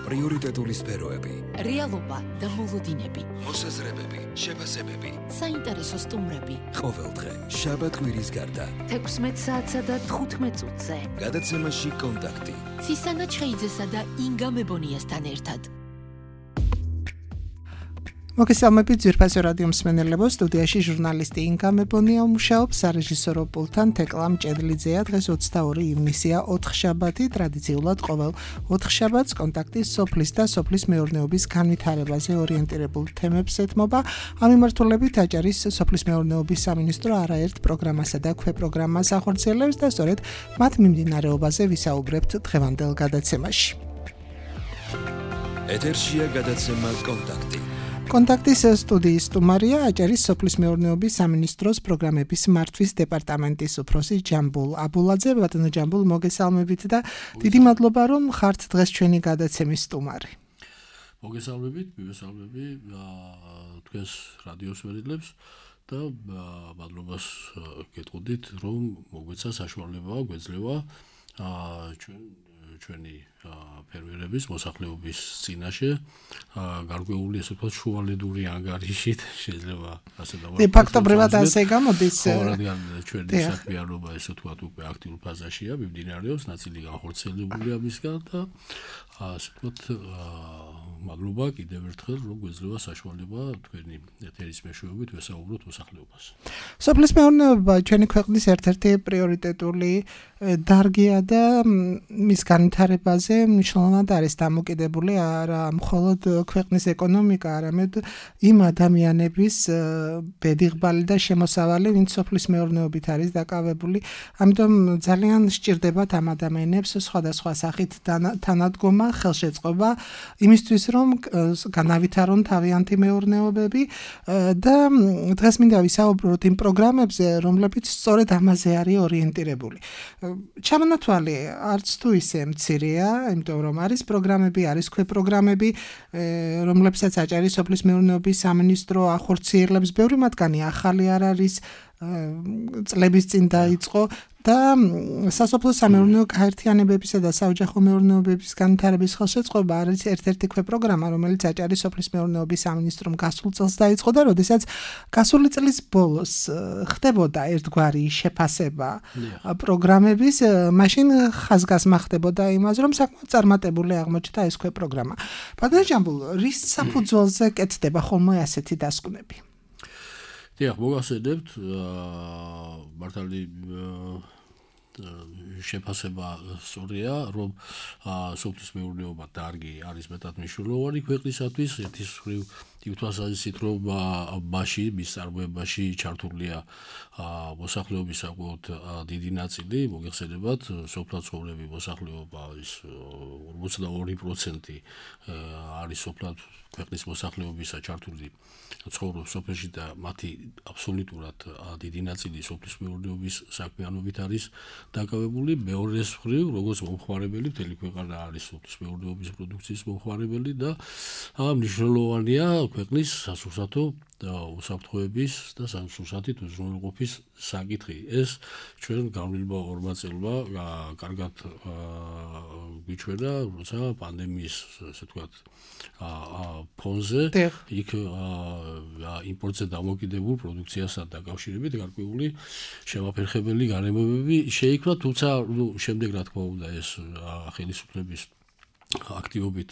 პრიორიტეტული სფეროები, რეალობა და მოლოდინები, მოსაზრებები, შეფასებები, საინტერესო სტუმრები. ყოველდღე შაბათ-კვირის გარდა 16 საათსა და 15 წუთზე. გადაცემაში კონტაქტი. ცისანა ჩხეიძესა და ინგა მებონიასთან ერთად. მოგესალმებით ძვირფასო რადიო მსმენელებო, სტუდიაში ჟურნალისტი ინგა მებონია მუშაობს, სარეჟისორო პულტთან თეკლა მჭედლიძეა. დღეს 22 ივნისია, 4 შაბათი, ტრადიციულად ყოველ 4 შაბათს კონტაქტი სოფლის და სოფლის მეურნეობის განვითარებაზე ორიენტირებულ თემებს ეთმობა. ამ მიმართულებით აჭარის სოფლის მეურნეობის სამინისტრო არაერთ პროგრამასა და ქვეპროგრამას ახორციელებს და სწორედ მათ მიმდინარეობაზე ვისაუბრებთ დღევანდელ გადაცემაში. ეთერშია გადაცემა კონტაქტი. კონტაქტის სტუდიის სტუმარია აჭარის სოფლის მეურნეობის სამინისტროს პროგრამების მართვის დეპარტამენტის უფროსი ჯამბულ აბულაძე. ბატონო ჯამბულ, მოგესალმებით და დიდი მადლობა რომ ხართ დღეს ჩვენი გადაცემის სტუმარი. მოგესალმებით, მივესალმები თქვენს რადიოს ვერილებს და მადლობას გეტყოდით რომ მოგვეცა საშუალება გვეძლევა ჩვენი ფერმერების მოსახლეობის წინაშე გარკვეული ესე ვთქვათ შუალედური ანგარიშით შეიძლება ასე დავარქვა. ფაქტობრივად ასე გამოდის. რადგან ჩვენი საქმიანობა ესე ვთქვათ უკვე აქტიურ ფაზაშია, მიმდინარეობს, ნაწილი განხორციელებულია მისგან და ასე ვთქვათ მადლობა კიდევ ერთხელ რომ გვეძლევა საშუალება თქვენი ეთერის მეშვეობით ვესაუბროთ მოსახლეობას. სოფლის მეურნეობა ჩვენი ქვეყნის ერთ-ერთი პრიორიტეტული დარგია და მის განვითარებაზე მნიშვნელოვნად არის დამოკიდებული არა მხოლოდ ქვეყნის ეკონომიკა, არამედ იმ ადამიანების ბედიღბალი და შემოსავალი, ვინც სოფლის მეურნეობით არის დაკავებული. ამიტომ ძალიან სჭირდებათ ამ ადამიანებს სხვადასხვა სახით თანადგომა, ხელშეწყობა იმისთვის რომ განავითარონ თავიანთი მეურნეობები და დღეს მინდა ვისაუბროთ იმ პროგრამებზე, რომლებიც სწორედ ამაზე არის ორიენტირებული. ჩამონათვალი არც თუ ისე მცირეა, იმიტომ რომ არის პროგრამები, არის ქვეპროგრამები, რომლებსაც აჭარის სოფლის მეურნეობის სამინისტრო ახორციელებს. ბევრი მათგანი ახალი არ არის, წლების წინ დაიწყო და სასოფლო სამეურნეო გაერთიანებებისა და საოჯახო მეურნეობების განვითარების ხელშეწყობა არის ერთ-ერთი ქვეპროგრამა, რომელიც აჭარის სოფლის მეურნეობის სამინისტრომ გასულ წელს დაიწყო და როდესაც გასული წლის ბოლოს ხდებოდა ერთგვარი შეფასება პროგრამების, მაშინ ხაზგასმა ხდებოდა იმაზე, რომ საკმაოდ წარმატებული აღმოჩნდა ეს ქვეპროგრამა. ბატონო ჯამბულ, რის საფუძველზე კეთდება ხოლმე ასეთი დასკვნები? დიახ, მოგახსენებთ, მართალი შეფასება სწორია, რომ სოფლის მეურნეობა დარგი არის მეტად მნიშვნელოვანი ქვეყნისათვის. ერთის მხრივ იმ თვალსაზრისით, რომ მასში, მის წარმოებაში ჩართულია მოსახლეობის საკმაოდ დიდი ნაწილი, მოგეხსენებათ, სოფლად ცხოვრები მოსახლეობა ის 42% არის სოფლად ქვეყნის მოსახლეობისა ჩართული ცხოვრობს სოფელში და მათი აბსოლუტურად დიდი ნაწილი სოფლის მეურნეობის საქმიანობით არის დაკავებული. მეორეს მხრივ, როგორც მომხმარებელი, მთელი ქვეყანა არის სოფლის მეურნეობის პროდუქციის მომხმარებელი და მნიშვნელოვანია ქვეყნის სასურსათო უსაფრთხოების და სასურსათით უზრუნველყოფის საკითხი. ეს ჩვენ განვლილმა 2 წელმა კარგად გვიჩვენა, როცა პანდემიის ასე ვთქვათ ფონზე იქ იმპორტზე დამოკიდებულ პროდუქციასთან დაკავშირებით გარკვეული შემაფერხებელი გარემოებები შეიქმნა, თუმცა შემდეგ რა თქმა უნდა ეს ხელისუფლების აქტივობით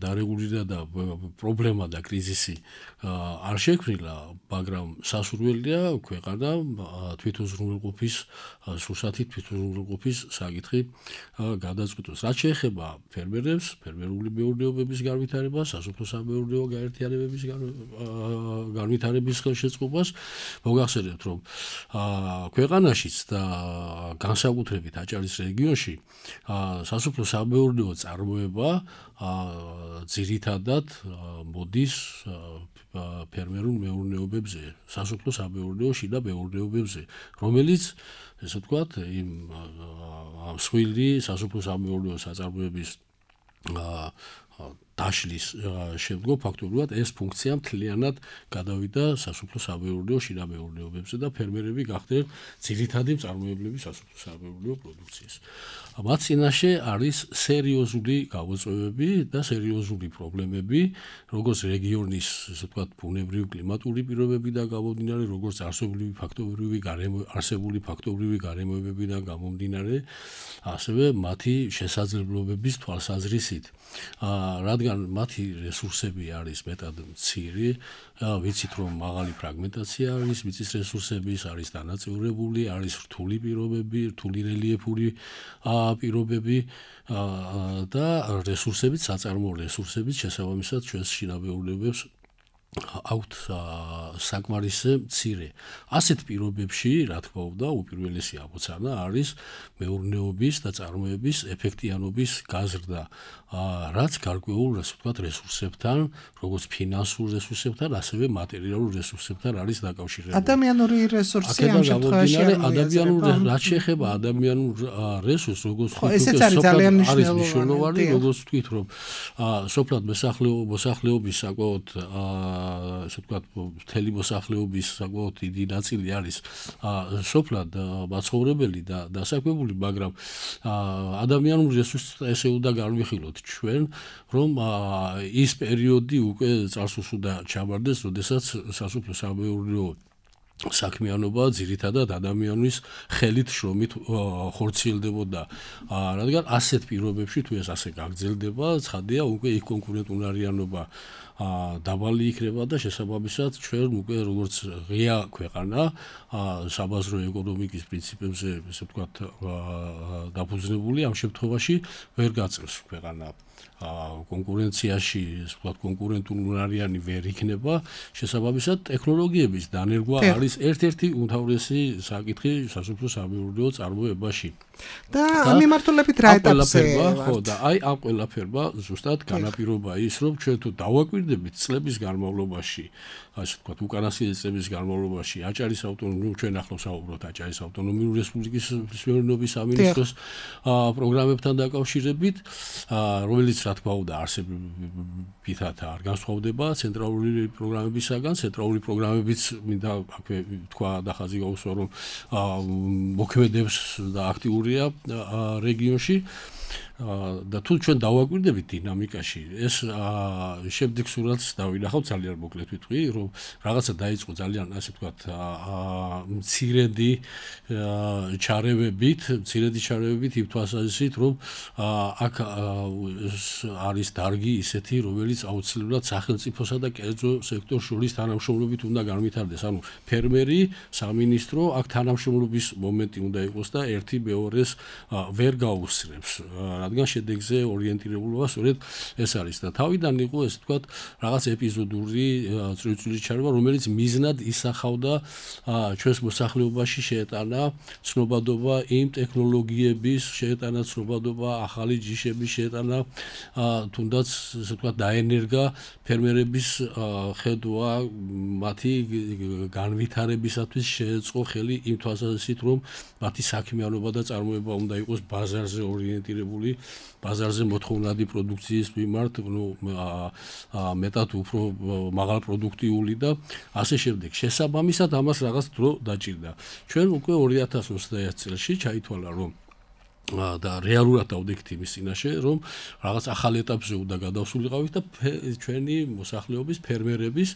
დარეგულირდა და პრობლემა და კრიზისი არ შექმნილა, მაგრამ სასურველია ქვეყანა თვითუზრუნველყოფის სურსათით თვითუზრუნველყოფის საკითხი გადაწყვიტოს. რაც შეეხება ფერმერებს, ფერმერული მეურნეობების განვითარებას, სასოფლო-სამეურნეო გაერთიანებების განვითარების ხელშეწყობას, მოგახსენებთ, რომ ქვეყანაშიც და განსაკუთრებით აჭარის რეგიონში სასოფლო-სამეურნეო წარმოება ძირითადად მოდის ფერმერულ მეურნეობებზე, სასოფლო-სამეურნეო შიდა მეურნეობებზე, რომელიც ესე ვთქვათ, იმ მსხვილი სასოფლო-სამეურნეო საწარმოების დაშლის შემდგომ ფაქტობრივად ეს ფუნქცია მთლიანად გადავიდა სასოფლო-სამეურნეო შინამეურნეობებზე და ფერმერები გახდნენ ძირითადი მწარმოებლები სასოფლო-სამეურნეო პროდუქციის. მათ წინაშე არის სერიოზული გამოწვევები და სერიოზული პრობლემები, როგორც რეგიონის, ასე ვთქვათ, ბუნებრივი კლიმატური პირობებიდან გამომდინარე, როგორც არსებული ფაქტობრივი გარემოებებიდან გამომდინარე, ასევე მათი შესაძლებლობების თვალსაზრისით. რადგან მათი რესურსები არის მეტად მცირე, ვიცით რომ მაღალი ფრაგმენტაცია არის მიწის რესურსების, არის დანაწევრებული, არის რთული პირობები, რთული რელიეფური პირობები და რესურსებით, საწარმოო რესურსებით შესაბამისად ჩვენს შინამეურნეობებს აქვთ საკმარისზე მცირე. ასეთ პირობებში, რა თქმა უნდა, უპირველესი ამოცანა არის მეურნეობის და წარმოების ეფექტიანობის გაზრდა, რაც გარკვეულ, ასე ვთქვათ, რესურსებთან, როგორც ფინანსურ რესურსებთან, ასევე მატერიალურ რესურსებთან არის დაკავშირებული. ადამიანური რესურსი ამ შემთხვევაში რაც შეეხება ადამიანურ რესურსს, როგორც ესეც არის ძალიან მნიშვნელოვანი, როგორც ვთქვით, რომ სოფლად მოსახლეობის საკმაოდ ასე ვთქვათ, მთელი მოსახლეობის საკმაოდ დიდი ნაწილი არის სოფლად მაცხოვრებელი და დასაქმებული, მაგრამ ადამიანურ რესურსს ესე უნდა განვიხილოთ ჩვენ, რომ ის პერიოდი უკვე წარსულს უნდა ჩამარდეს, როდესაც სასოფლო-სამეურნეო საქმიანობა ძირითადად ადამიანის ხელით შრომით ხორციელდებოდა. რადგან ასეთ პირობებში თუ ეს ასე გაგრძელდება, ცხადია უკვე იქ კონკურენტუნარიანობა დაბალი იქნება და შესაბამისად ჩვენ უკვე როგორც ღია ქვეყანა საბაზრო ეკონომიკის პრინციპებზე, ესე ვთქვათ, დაფუძნებული ამ შემთხვევაში ვერ გაწევს ქვეყანა კონკურენციაში, ასე ვთქვათ, კონკურენტუნარიანი ვერ იქნება, შესაბამისად ტექნოლოგიების დანერგვა არის ერთ-ერთი უმთავრესი საკითხი სასოფლო-სამეურნეო წარმოებაში. და ამ მიმართულებით რა ეტაპზე ვართ? და აი ამ ყველაფერმა ზუსტად განაპირობა ის, რომ ჩვენ თუ დავაკვირდებით წლების განმავლობაში, ასე ვთქვათ, უკანასკნელი წლების განმავლობაში აჭარის ავტონომიური, ჩვენ ახლა ვსაუბრობთ აჭარის ავტონომიური რესპუბლიკის მეურნეობის სამინისტროს პროგრამებთან დაკავშირებით, რომელიც რა თქმა უნდა არსებითად არ განსხვავდება ცენტრალური პროგრამებისაგან, ცენტრალური პროგრამებიც მინდა აქვე თქვა და ხაზი გაუსვა, რომ მოქმედებს და აქტიურია რეგიონში. და თუ ჩვენ დავაკვირდებით დინამიკაში, ეს შემდეგ სურათს დავინახავთ ძალიან მოკლედ ვიტყვი, რომ რაღაცა დაიწყო ძალიან, ასე ვთქვათ, მცირედი ჩარევებით იმ თვალსაზრისით, რომ აქ არის დარგი ისეთი, რომელიც აუცილებლად სახელმწიფოსა და კერძო სექტორს შორის თანამშრომლობით უნდა განვითარდეს. ანუ ფერმერი, სამინისტრო აქ თანამშრომლობის მომენტი უნდა იყოს და ერთი მეორეს ვერ გაუსწრებს. რადგან შედეგზე ორიენტირებულობა სწორედ ეს არის და თავიდან იყო ესე ვთქვათ რაღაც ეპიზოდური წვრილ-წვრილი ჩარევა, რომელიც მიზნად ისახავდა ჩვენს მოსახლეობაში შეეტანა ცნობადობა იმ ტექნოლოგიების, შეეტანა ცნობადობა ახალი ჯიშების, შეეტანა თუნდაც ესე ვთქვათ დაენერგა ფერმერების ხედვა მათი განვითარებისათვის შეეწყო ხელი იმ თვალსაზრისით, რომ მათი საქმიანობა და წარმოება უნდა იყოს ბაზარზე ორიენტირებული, ბაზარზე მოთხოვნადი პროდუქციის მიმართ, მეტად უფრო მაღალპროდუქტიული და ასე შემდეგ. შესაბამისად ამას რაღაც დრო დაჭირდა. ჩვენ უკვე 2021 წელს ჩაითვალა, რომ და რეალურად დავდექით იმის წინაშე, რომ რაღაც ახალ ეტაპზე უნდა გადავსულიყავით და ჩვენი მოსახლეობის ფერმერების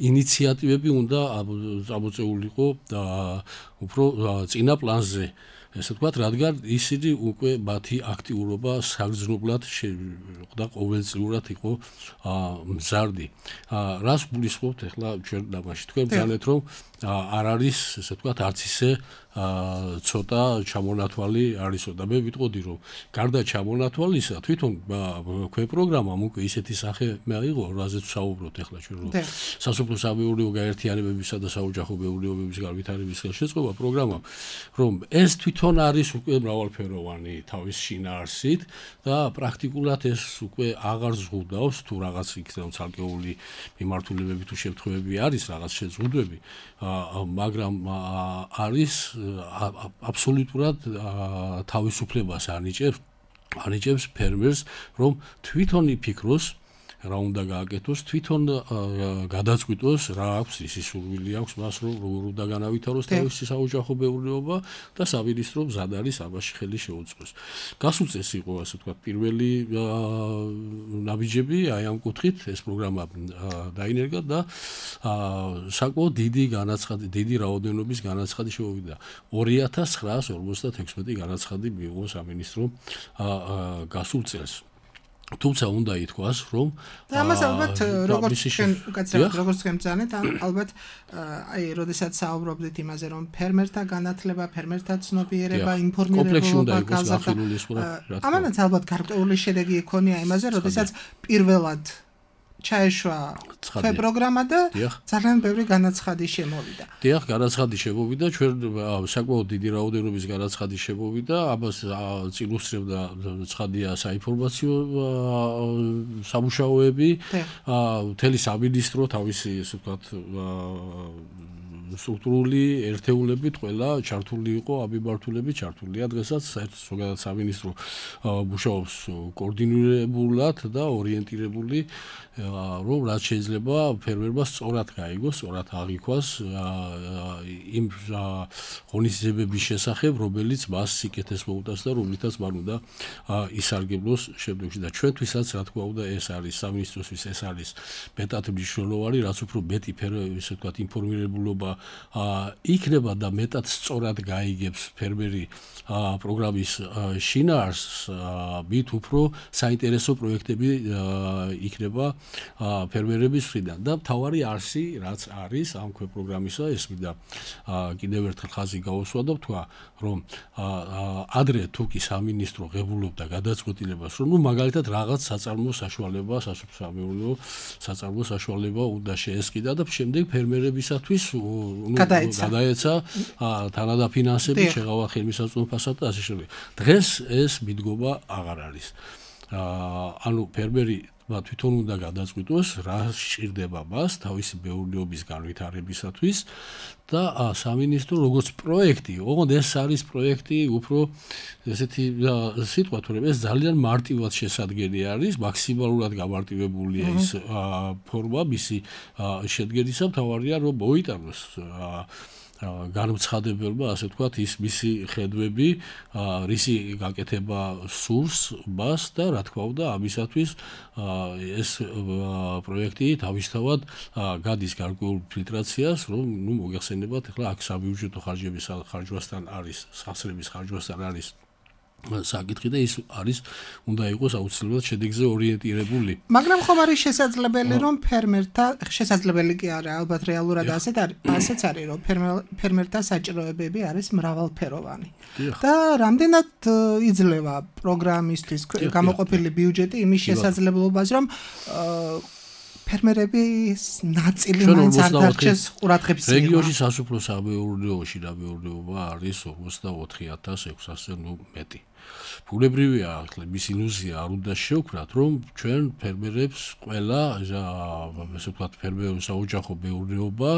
ინიციატივები უნდა წამოწეულიყო უფრო წინა პლანზე. ესე ვთქვათ, რადგან ისინი უკვე მათი აქტიურობა საგრძნობლად და ყოველწლიურად იყო მზარდი. რას გულისხმობთ ახლა ჩვენ ამაში? თქვენ ბრძანეთ, რომ არ არის, ესე ვთქვათ, არც ისე ცოტა ჩამონათვალი არისო და მე ვიტყოდი, რომ გარდა ჩამონათვალისა, თვითონ ქვე პროგრამამ უკვე ისეთი სახე მიიღო, რაზეც ვსაუბრობთ ახლა ჩვენ, რომ სასოფლო-სამეურნეო გაერთიანებებისა და საოჯახო მეურნეობების განვითარების ხელშეწყობა პროგრამა, რომ ეს თვითონ არის უკვე მრავალფეროვანი თავის შინაარსით და პრაქტიკულად ეს უკვე აღარ ზღუდავს თუ რაღაც იქნება ცალკეული მიმართულებები თუ შემთხვევები არის რაღაც შეზღუდვები, მაგრამ არის აბსოლუტურად თავისუფლებას ანიჭებს ანიჭებს ფერმერს, რომ თვითონ იფიქროს რა უნდა გააკეთოს, თვითონ გადაწყვიტოს რა აქვს, ისი სურვილი აქვს მას, რომ როგორ უნდა განავითაროს თავისი საოჯახო მეურნეობა და სამინისტრო მზად არის ამაში ხელი შეუწყოს. გასუწეს იყო, ასე ვთქვათ, პირველი ნაბიჯები აი ამ კუთხით ეს პროგრამა დაინერგა და საკმაოდ დიდი რაოდენობის განაცხადი შემოვიდა. 2956 განაცხადი მიიღო სამინისტრო გასულ წელს. თუმცა უნდა ითქვას, რომ ამას ალბათ როგორც ჩვენ უკაცრავად როგორც გემწანეთ, ალბათ აი როდესაც საუბრობდით იმაზე, რომ ფერმერთა განათლება, ფერმერთა ცნობიერება, ინფორმირება გაზრდა. ამანაც ალბათ გარკვეული შედეგი იქონია იმაზე, როდესაც პირველად ჩაეშვა პროგრამა და ძალიან ბევრი განაცხადი შემოვიდა. დიახ, განაცხადი შემოვიდა, ჩვენ საკმაოდ დიდი რაოდენობის განაცხადი შემოვიდა, ამას წინ უსწრებდა ცხადია საინფორმაციო სამუშაოები, მთელი სამინისტრო თავისი, ასე ვთქვათ, სტრუქტურული ერთეულებით ყველა ჩართული იყო, ამიბართულებით ჩართულია დღესაც საერთოდ ზოგადად სამინისტრო მუშაობს კოორდინირებულად და ორიენტირებული რომ რაც შეიძლება ფერმერმა სწორად გაიგოს, სწორად აღიქვას იმ ღონისძიებების შესახებ, რომელიც მას სიკეთეს მოუტანს და რომლითაც მან უნდა ისარგებლოს შემდგომში და ჩვენთვისაც რა თქმა უნდა ეს არის სამინისტროსთვის ეს არის მეტად მნიშვნელოვანი, რაც უფრო მეტი ისე ვთქვათ ინფორმირებულობა იქნება და მეტად სწორად გაიგებს ფერმერი პროგრამის შინაარსს, მით უფრო საინტერესო პროექტები იქნება ფერმერების მხრიდან და მთავარი არსი რაც არის ამ პროგრამისა ეს მინდა კიდევ ერთხელ ხაზი გაუსვა და ვთქვა რომ ადრე თუ კი სამინისტრო ღებულობდა გადაწყვეტილებას რომ მაგალითად რაღაც საწარმო საშუალება სასოფლო საწარმო საშუალება უნდა შეესყიდა და შემდეგ ფერმერებისათვის გადაეცა თანადაფინანსებით შეღავა ხელმისაწვდომობასა და ასე შემდეგ. დღეს ეს მიდგომა აღარ არის. ანუ ფერმერი თვითონ უნდა გადაწყვიტოს რა სჭირდება მას თავისი მეურნეობის განვითარებისათვის და სამინისტრო როგორც პროექტი, ოღონდ ეს არის პროექტი უფრო ესეთი სიტყვა თორემ ეს ძალიან მარტივად შესადგენელი არის, მაქსიმალურად გამარტივებულია ის ფორმა მისი შედგენისა, მთავარია რომ მოიტანოს განმცხადებელმა, ასე ვთქვათ, ის მისი ხედვები, რისი გაკეთება სურს მას და რა თქმა უნდა, ამისათვის ეს პროექტი თავისთავად გადის გარკვეულ ფილტრაციას, რომ მოგეხსენებათ, ახლა აქ საბიუჯეტო ხარჯების ხარჯვასთან არის, სახსრების ხარჯვასთან არის საკითხი და ის არის უნდა იყოს აუცილებლად შედეგზე ორიენტირებული. მაგრამ ხომ არის შესაძლებელი რომ ფერმერთა შესაძლებელი კი არა, ალბათ რეალურად ასეც არის რომ ფერმერთა საჭიროებები არის მრავალფეროვანი. და რამდენად იძლევა პროგრამისთვის გამოყოფილი ბიუჯეტი იმის შესაძლებლობას რომ ფერმერების ნაწილი მაინც არ დარჩეს ყურადღების მიერ. რეგიონში სასოფლო სამეურნეოში და მეურნეობა არის 44600 მეტი. ბუნებრივია, ახლა მის ილუზია არ უნდა შევქმნათ, რომ ჩვენ ფერმერებს ყველა ასე ვთქვათ ფერმერების საოჯახო მეურნეობა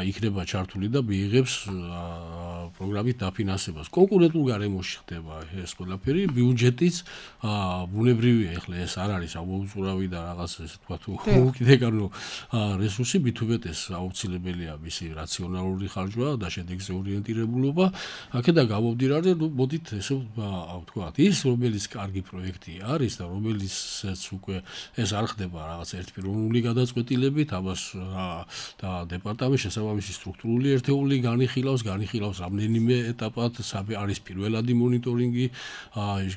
იქნება ჩართული და მიიღებს პროგრამით დაფინანსებას. კონკურენტულ გარემოში ხდება ეს ყველაფერი, ბიუჯეტიც ბუნებრივია, ახლა ეს არ არის ამოუწურავი და რაღაც ასე ვთქვათ უკიდეკანო რესურსი, მით უმეტეს აუცილებელია მისი რაციონალური ხარჯვა და შედეგზე ორიენტირებულობა. აქედან გამომდინარე, მოდით ესე ვთქვათ, ის რომელიც კარგი პროექტი არის და რომელიცაც უკვე ეს არ ხდება რაღაც ერთპიროვნული გადაწყვეტილებით, ამას და დეპარტამენტის შესაბამისი სტრუქტურული ერთეული განიხილავს რამდენიმე ეტაპად, არის პირველადი მონიტორინგი,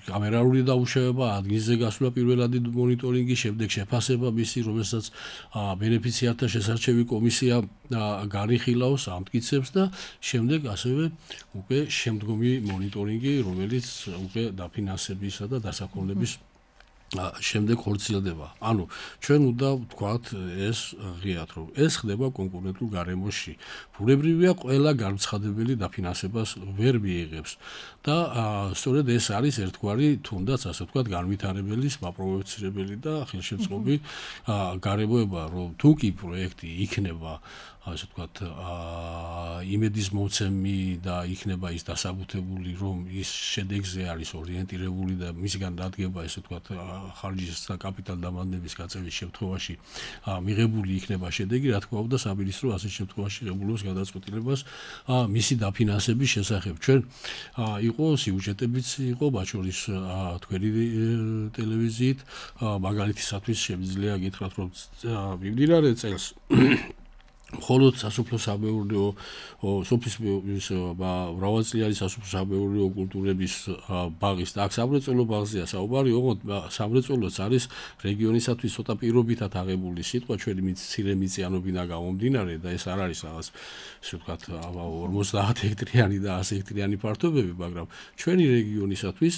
კამერალური დამუშავება, ადგილზე გასვლა პირველადი მონიტორინგი, შემდეგ შეფასება მისი, რომელსაც ბენეფიციართა შესარჩევი კომისია განიხილავს, ამტკიცებს და შემდეგ ასევე უკვე შემდგომი მონიტორინგი, რომელიც უკვე დაფინანსებისა და დასახულების შემდეგ ხორციელდება. ანუ ჩვენ უნდა ვთქვათ ეს ღიად რომ ეს ხდება კონკურენტულ გარემოში. ბუნებრივია ყველა განცხადებელი დაფინანსებას ვერ მიიღებს და სწორედ ეს არის ერთგვარი თუნდაც ასე ვთქვათ განვითარებელი, მაპროვოცირებელი და ხელშემწყობი გარემოება რომ თუ კი პროექტი იქნება ასე ვთქვათ იმედის მოცემი და იქნება ის დასაბუთებული რომ ის შედეგზე არის ორიენტირებული და მისგან დადგება ესე ვთქვათ ხარჯის და კაპიტალ დამატების გაწევის შემთხვევაში მიღებული იქნება შედეგი, რა თქმა უნდა, სამინისტრო ასეთ შემთხვევაში ღებულობს გადაწყვეტილებას მისი დაფინანსების შესახებ. ჩვენ იყო სიუჟეტებიც იყო ბაჩორის თქვენი ტელევიზიით, მაგალითისათვის შემიძლია გითხრათ, რომ მიმდინარე წელს მხოლოდ სასოფლო-სამეურნეო სოფლის მრავალწლიანი სასოფლო-სამეურნეო კულტურების ბაღის და აქ სამრეწველო ბაღზეა საუბარი, ოღონდ სამრეწველოც არის რეგიონისათვის ცოტა პირობითად აღებული სიტყვა, ჩვენი მცირე მიწიანობიდან გამომდინარე და ეს არ არის რაღაც ისე ვთქვათ 50 ჰექტრიანი და 100 ჰექტრიანი ფართობები, მაგრამ ჩვენი რეგიონისათვის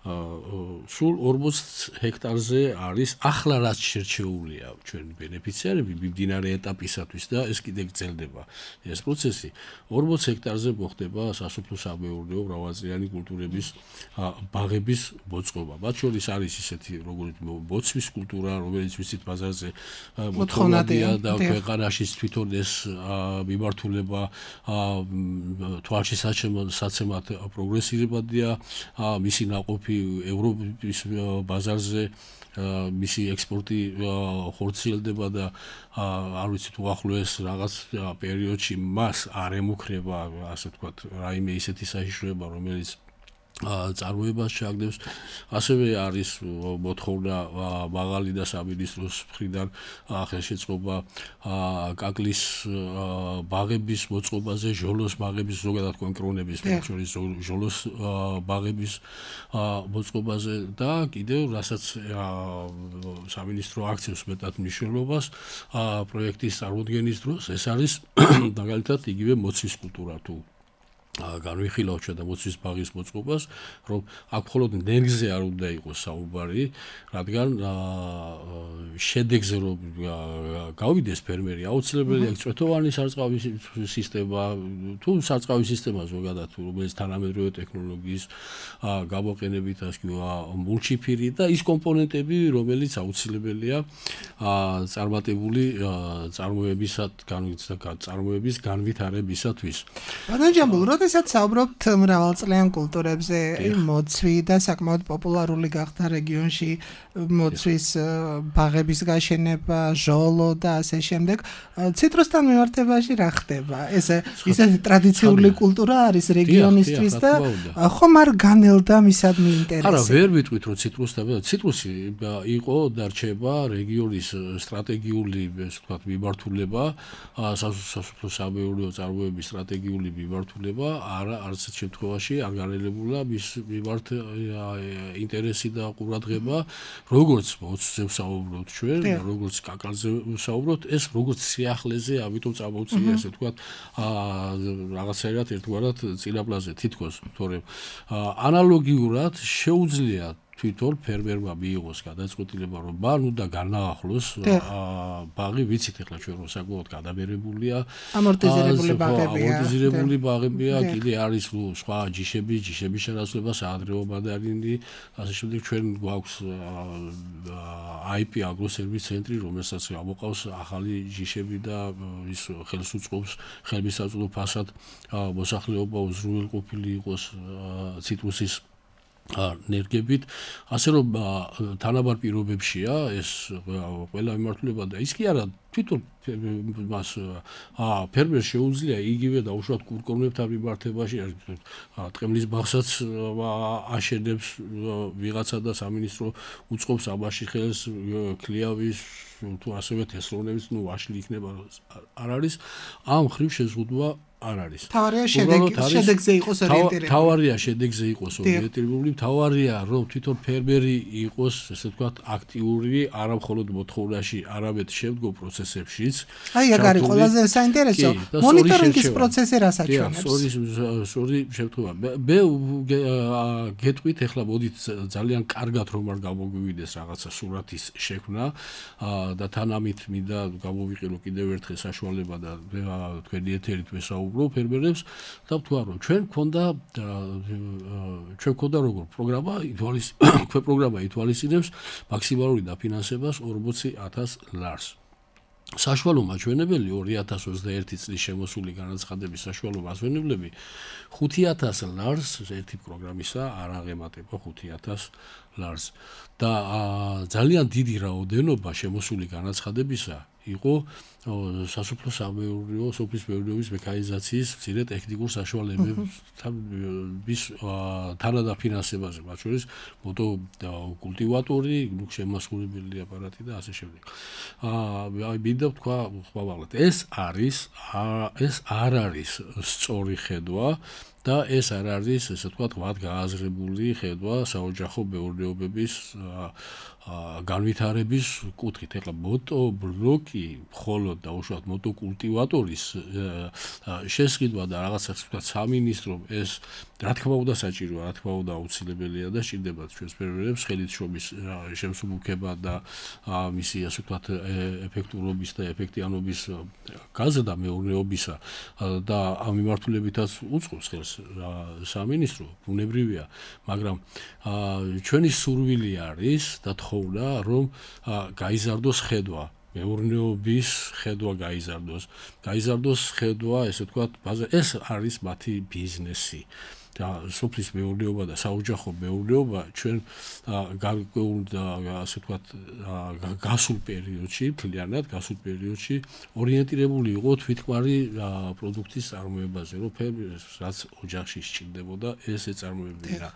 სულ 40 ჰექტარზე არის ახლა რაც შერჩეულია ჩვენი ბენეფიციარები მიმდინარე ეტაპისათვის და ეს კიდე გრძელდება ეს პროცესი 40 ჰექტარზე მოხდება სასოფლო-სამეურნეო მრავალწლიანი კულტურების ბაღების მოწყობა. მათ შორის არის ისეთი როგორც მოცვის კულტურა, რომელიც ვიცით ბაზარზე მოთხოვნადია და ქვეყანაში თვითონ ეს მიმართულება თვალში საცემად პროგრესირებადია, მისი ნაყოფი ევროპის ბაზარზე მისი ექსპორტი ხორციელდება და არ ვიცით უახლოეს რაღაც პერიოდში მას არ ემუქრება ასე ვთქვათ რაიმე ისეთი საშიშროება რომელიც წარმოებას ჩაგდებს. ასევე არის მოთხოვნა მაღალი და სამინისტროს მხრიდან ხელშეწყობა კაკლის ბაღების მოწყობაზე, ჟოლოს ბაღების ზოგადად კონკრონების შორის ჟოლოს ბაღების მოწყობაზე და კიდევ რასაც სამინისტრო აქცევს მეტად მნიშვნელობას პროექტის წარმოდგენის დროს ეს არის მაგალითად იგივე მოცვის კულტურა თუ განვიხილავ ჩვენ და მოცვის ბაღის მოწყობას, რომ აქ მხოლოდ ნერგზე არ უნდა იყოს საუბარი, რადგან შედეგზე რომ გავიდეს ფერმერი, აუცილებელია წვეთოვანი სარწყავი სისტემა, თუ სარწყავი სისტემა ზოგადად, რომელიც თანამედროვე ტექნოლოგიის გამოყენებით ასკივა მულჩიფირი და ის კომპონენტები, რომელიც აუცილებელია წარმატებული წარმოების განვითარებისათვის. როდესაც საუბრობთ მრავალწლიან კულტურებზე, მოცვი და საკმაოდ პოპულარული გახდა რეგიონში მოცვის ბაღების გაშენება, ჟოლო და ასე შემდეგ. ციტრუსთან მიმართებაში რა ხდება? ესეთი ტრადიციული კულტურა არის რეგიონისთვის და ხომ არ განელდა მისადმი ინტერესი? არა, ვერ ვიტყვით რომ ციტრუსი იყო და რჩება რეგიონის სტრატეგიული, ასე ვთქვათ, მიმართულება, სასოფლო-სამეურნეო წარმოების სტრატეგიული მიმართულება. არც შემთხვევაში არ განელებულა მის მიმართ ინტერესი და ყურადღება, როგორც მოცვზე ვსაუბრობთ ჩვენ, როგორც კაკალზე ვსაუბრობთ, ეს როგორც სიახლეზე, ამიტომ წამოვწია ესე ვთქვათ, რაღაცაირად ერთგვარად წინაპლაზე თითქოს, თორემ ანალოგიურად შეუძლია თვითონ ფერმერმა მიიღოს გადაწყვეტილება, რომ მან უნდა განაახლოს ბაღი, ვიცით ახლა ჩვენ რომ საკმაოდ გადაბერებულია, ამორტიზირებული ბაღებია, კიდე არის სხვა ჯიშების შენაცვლება, საადრეო მანდარინი, ასე შემდეგ ჩვენ გვაქვს IP აგროსერვის ცენტრი, რომელსაც ამოყავს ახალი ჯიშები და ის ხელს უწყობს ხელმისაწვდომო ფასად მოსახლეობა უზრუნველყოფილი იყოს ციტრუსის ნერგებით, ასე რომ თანაბარ პირობებშია ეს ყველა მიმართულება და ის კი არა თვითონ მას ფერმერს შეუძლია იგივე და უშუალოდ კურკონებთან მიმართებაში ტყემლის ბაღსაც აშენებს ვიღაცა და სამინისტრო უწყობს ამაში ხელს ქლიავის თუ ასევე თესლოვნების ვაშლი იქნება არ არის ამ ხრივ შეზღუდვა არ არის. შედეგზე იყოს ორიენტირებული. თავარია შედეგზე იყოს ორიენტირებული, თავარია რომ თვითონ ფერმერი იყოს, ესე ვთქვათ, აქტიური, არა მხოლოდ მოთხოვნაში, არამედ შემდგომ პროცესში პროცესებშიც. აი, ეგ არის ყველაზე საინტერესო. მონიტორინგის პროცესი რას აჩვენებს? სწორი შემთხვევა. მე გეტყვით ახლა მოდით ძალიან კარგად რომ არ გამოგვივიდეს რაღაცა სურათის შექმნა და თანამით მინდა გამოვიყენო კიდევ ერთხელ საშუალება და თქვენი ეთერით ვესაუბრო ფერმერებს და ვთქვა რომ ჩვენ გქონდა როგორ პროგრამა ითვალისწინებს მაქსიმალური დაფინანსებას 40,000 ლარს. საშუალო მაჩვენებელი 2021 წლის შემოსული განაცხადების საშუალო მაჩვენებლები 5,000 ლარს ერთი პროგრამისა არ აღემატება 5,000 ლარს და ძალიან დიდი რაოდენობა შემოსული განაცხადებისა იყო სასოფლო-სამეურნეო სოფლის მეურნეობის მექანიზაციის მცირე ტექნიკურ საშუალებების თანადაფინანსებაზე, მათ შორის მოტოკულტივატორი, შემასრულებელი აპარატი და ასე შემდეგ. მინდა ვთქვა ხმამაღლად, ეს არ არის სწორი ხედვა და ეს არ არის, ესე ვთქვათ, მათ გააზრებული ხედვა საოჯახო მეურნეობების განვითარების კუთხით. ეხლა მოტობლოკი მხოლოდ და უშუალოდ მოტოკულტივატორის შესყიდვა და რაღაცა ვთქვათ სამინისტრომ ეს რა თქმა უნდა საჭიროა, რა თქმა უნდა აუცილებელია და სჭირდება ჩვენს ფერმერებს ხელისშრომის შემსუბუქება და მისი ასე ვთქვათ ეფექტურობის და ეფექტიანობის გაზრდა მეურნეობისა და ამ მიმართულებითაც უწყობს ხელს სამინისტრო, ბუნებრივია, მაგრამ ჩვენი სურვილი არის და თხოვნა რომ გაიზარდოს ხედვა მეურნეობის ხედვა გაიზარდოს ხედვა, ესე ვთქვათ, ეს არის მათი ბიზნესი. და სოფლის მეურნეობა და საოჯახო მეურნეობა ჩვენ ასე ვთქვათ გასულ პერიოდში ორიენტირებული იყო თვითმკვარი პროდუქტის წარმოებაზე, რომ ფერმერს რაც ოჯახში სჭირდებოდა ეს ეწარმოებინა.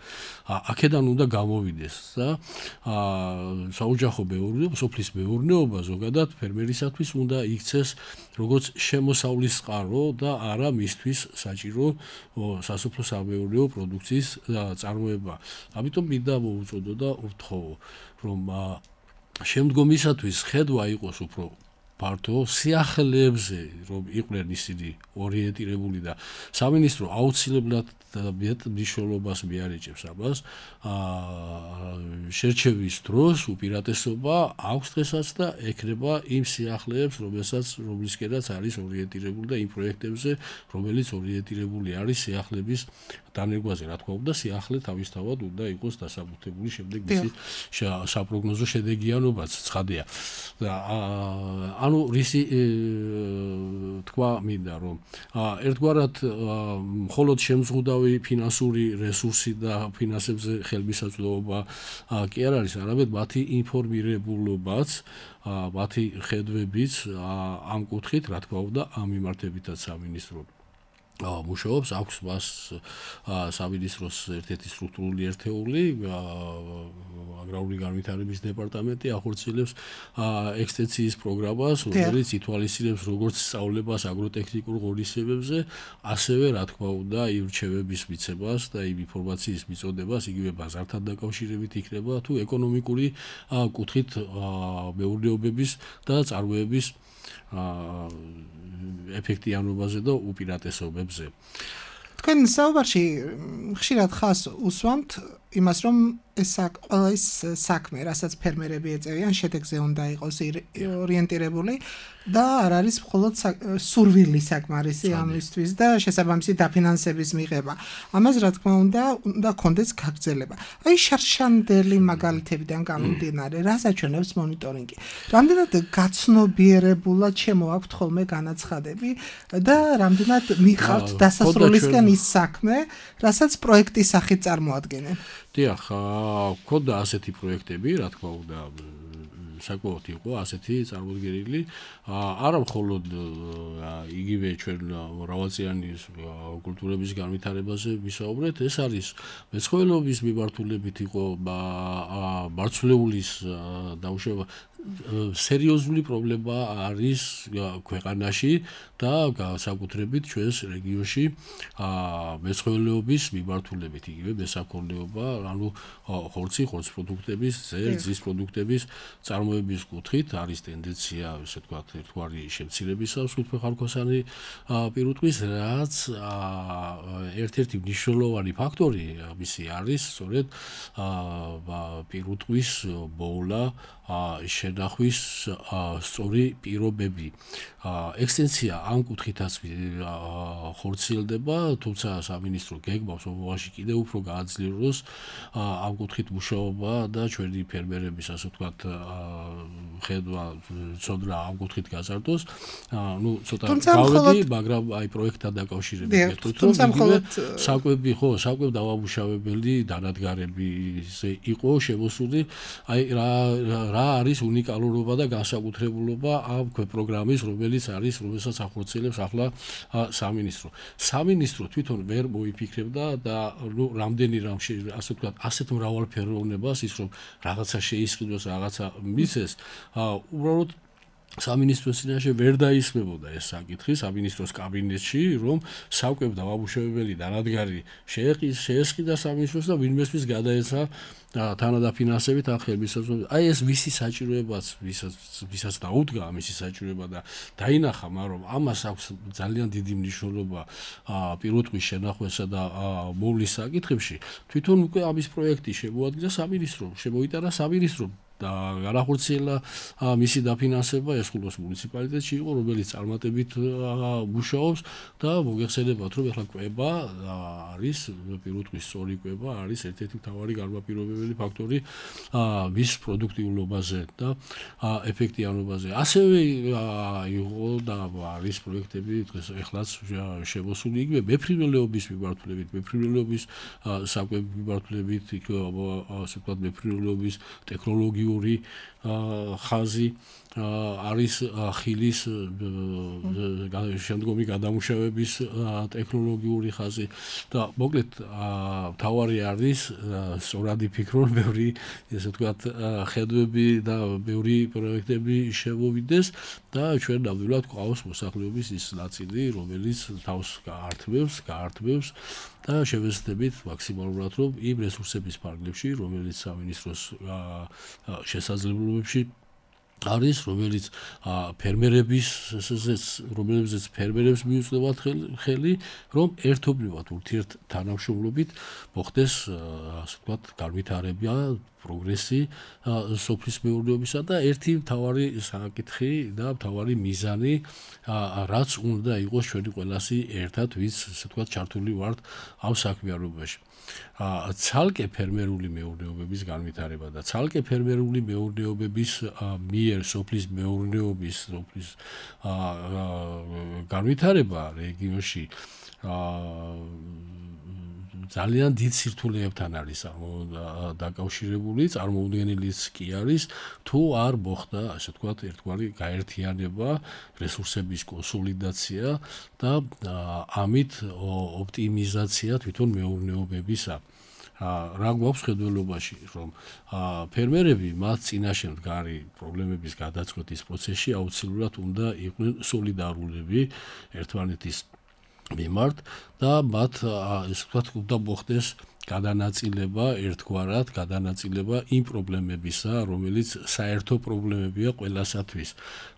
აქედან უნდა გამოვიდეს და საოჯახო მეურნეობა, სოფლის მეურნეობა ზოგადად ფერმერისათვის უნდა იქცეს როგორც შემოსავლის წყარო და არა მისთვის საჭირო სასოფლო-სამეურნეო პროდუქციის წარმოება. ამიტომ მინდა მოვუწოდო და ვთხოვო, რომ შემდგომისათვის ხედვა იყოს უფრო ფართო სიახლეებზე, რომ იყვნენ ისინი ორიენტირებული და სამინისტრო აუცილებლად მეტ მნიშვნელობას მიარეჭებს ამას. შერჩევის დროს უპირატესობა აქვს დღესაც და ექნება იმ სიახლეებს, რომლისკენაც არის ორიენტირებული და იმ პროექტებზე, რომელიც ორიენტირებული არის სიახლეების დანერგვაზე. რა თქმა უნდა, სიახლე თავისთავად უნდა იყოს დასაბუთებული, შემდეგ მისი საპროგნოზო შედეგიანობაც ცხადია. ანუ რისი თქვა მინდა, რომ ერთგვარად მხოლოდ შემზღუდავი ფინანსური რესურსი და ფინანსებზე ხელმისაწვდომობა კი არ არის, არამედ მათი ინფორმირებულობაც, მათი ხედვებიც ამ კუთხით, რა თქმა უნდა, ამ მიმართებითაც სამინისტრო მუშაობს, აქვს მას სამინისტროს ერთ-ერთი სტრუქტურული ერთეული, აგრარული განვითარების დეპარტამენტი ახორციელებს ექსტენსიის პროგრამას, რომელიც ითვალისწინებს როგორც სწავლებას აგროტექნიკურ ღონისძიებებზე, ასევე რა თქმა უნდა ირჩევების მიცემას და იმ ინფორმაციის მიწოდებას, იგივე ბაზართან დაკავშირებით იქნება თუ ეკონომიკური კუთხით მეურნეობების და წარმოების ეფექტიანობაზე და უპირატესობებზე. თქვენ საუბარში ხშირად ხას უსვამთ იმას, რომ ყველა ის საქმე, რასაც ფერმერები ეწევიან, შედეგზე უნდა იყოს ორიენტირებული და არ არის მხოლოდ სურვილი საკმარისი ამისთვის და შესაბამისი დაფინანსების მიღება. ამას რა თქმა უნდა კონდეს გაგრძელება. აი შარშანდელი მაგალითებიდან გამომდინარე, რას აჩვენებს მონიტორინგი? რამდენად გაცნობიერებულად შემოაქვთ ხოლმე განაცხადები და რამდენად მიყავთ დასასრულისკენ ის საქმე, რასაც პროექტის სახით წარმოადგენენ? დიახ, ქონდა ასეთი პროექტები, რა თქმა უნდა, საკმაოდ იყო ასეთი წარმოდგენილი, არა მხოლოდ იგივე ჩვენ მრავალწლიანი კულტურების განვითარებაზე ვისაუბრეთ, ეს არის მეცხოველეობის მიმართულებით იყო მარცვლეულის დაუშვება, სერიოზული პრობლემა არის ქვეყანაში და განსაკუთრებით ჩვენს რეგიონში მეცხოველეობის მიმართულებით, იგივე მესაქონლეობა, ანუ ხორცის პროდუქტების, ძის პროდუქტების წარმოების კუთხით არის ტენდენცია, ესე ვთქვათ, ერთგვარი შემცირებისა სულფეხარქვასანი პირუტყვის, რაც ერთ-ერთი მნიშვნელოვანი ფაქტორი მისი არის სწორედ პირუტყვის ბოულა შენახვის სწორი პირობები. ექსტენსია ამ კუთხითაც ხორციელდება, თუმცა სამინისტრო გეგმავს მომავალში კიდევ უფრო გააძლიეროს ამ კუთხით მუშაობა და ჩვენი ფერმერების, ასე ვთქვათ, ხედვა ცოდნა ამ კუთხით გაზარდოს. ნუ ცოტა გავედი, მაგრამ აი პროექტთან დაკავშირებით ვეთქვით, რომ საკვები დავამუშავებელი დანადგარები იყო შემოსული, აი რა არის უნიკალურობა და განსაკუთრებულობა ამ პროგრამის, რომელსაც ახორციელებს ახლა სამინისტრო. სამინისტრო თვითონ ვერ მოიფიქრებდა და რამდენი ასე ვთქვათ, ასეთ მრავალფეროვნებას ის რომ რაღაცა შეისყიდოს, რაღაცა მისცეს, უბრალოდ სამინისტროს წინაშე ვერ დაისმებოდა ეს საკითხი სამინისტროს კაბინეტში, რომ საკვებ დავამუშავებელი დანადგარი შეესყიდა სამინისტროს და ვინმესთვის გადაეცა თანადაფინანსებით ან ხელმისაწვდომით. აი ეს მისი საჭიროებაც, ვისაც დაუდგა მისი საჭიროება და დაინახა, მაგრამ ამას აქვს ძალიან დიდი მნიშვნელობა პირუტყვის შენახვასა და მოვლის საკითხებში. თვითონ უკვე ამის პროექტი შემოადგა სამინისტრომ, შემოიტანა სამინისტრომ და განახორციელა მისი დაფინანსება ესხულოს მუნიციპალიტეტში იყო, რომელიც წარმატებით მუშაობს და მოგეხსენებათ, რომ ახლა კვება არის პირუტყვის სწორი კვება არის ერთ-ერთი მთავარი განმაპირობებელი ფაქტორი მის პროდუქტიულობაზე და ეფექტიანობაზე. ასევე იყო და არის პროექტები დღეს ახლაც შემოსული იგივე მეფრინველეობის მიმართულებით, მეფრინველეობის საკვების მიმართულებით, ასე ვთქვათ, მეფრინველეობის ტექნოლოგია ხაზი არის ხილის შემდგომი გადამუშავების ტექნოლოგიური ხაზი და მოკლედ მთავარი არის სწორად იფიქრონ ბევრი ესე ვთქვათ ხედვები და ბევრი პროექტები შემოვიდეს და ჩვენ ნამდვილად გვყავს მოსახლეობის ის ნაწილი, რომელიც თავს გაართმევს და შევეცდებით მაქსიმალურად რომ იმ რესურსების ფარგლებში, რომელიც სამინისტროს შესაძლებლობებში არის, რომელიც რომელზეც ფერმერებს მიუწევათ ხელი, რომ ერთობლივად ურთიერთთანამშრომლობით მოხდეს, ასე ვთქვათ, განვითარება, პროგრესი სოფლის მეურნეობისა და ერთი მთავარი საკითხი და მთავარი მიზანი, რაც უნდა იყოს ჩვენი ყველასი ერთად, ვინც, ასე ვთქვათ, ჩართული ვართ ამ საქმიანობაში. ცალკე ფერმერული მეურნეობების განვითარება და ცალკე ფერმერული მეურნეობების მიერ სოფლის მეურნეობის განვითარება რეგიონში ძალიან დიდ სირთულეებთან არის დაკავშირებული, წარმოუდგენელიც კი არის, თუ არ მოხდა, ასე ვთქვათ, ერთგვარი გაერთიანება, რესურსების კონსოლიდაცია და ამით ოპტიმიზაცია თვითონ მეურნეობებისა. რა გვაქვს ხედველობაში, რომ ფერმერები მათ წინაშე მდგარი პრობლემების გადაწყვეტის პროცესში აუცილებლად უნდა იყვნენ სოლიდარულები ერთმანეთის მიმართ და მათ ესე ვთქვათ უნდა მოხდეს გადანაწილება ერთგვარად, გადანაწილება იმ პრობლემებისა, რომელიც საერთო პრობლემებია ყველასათვის.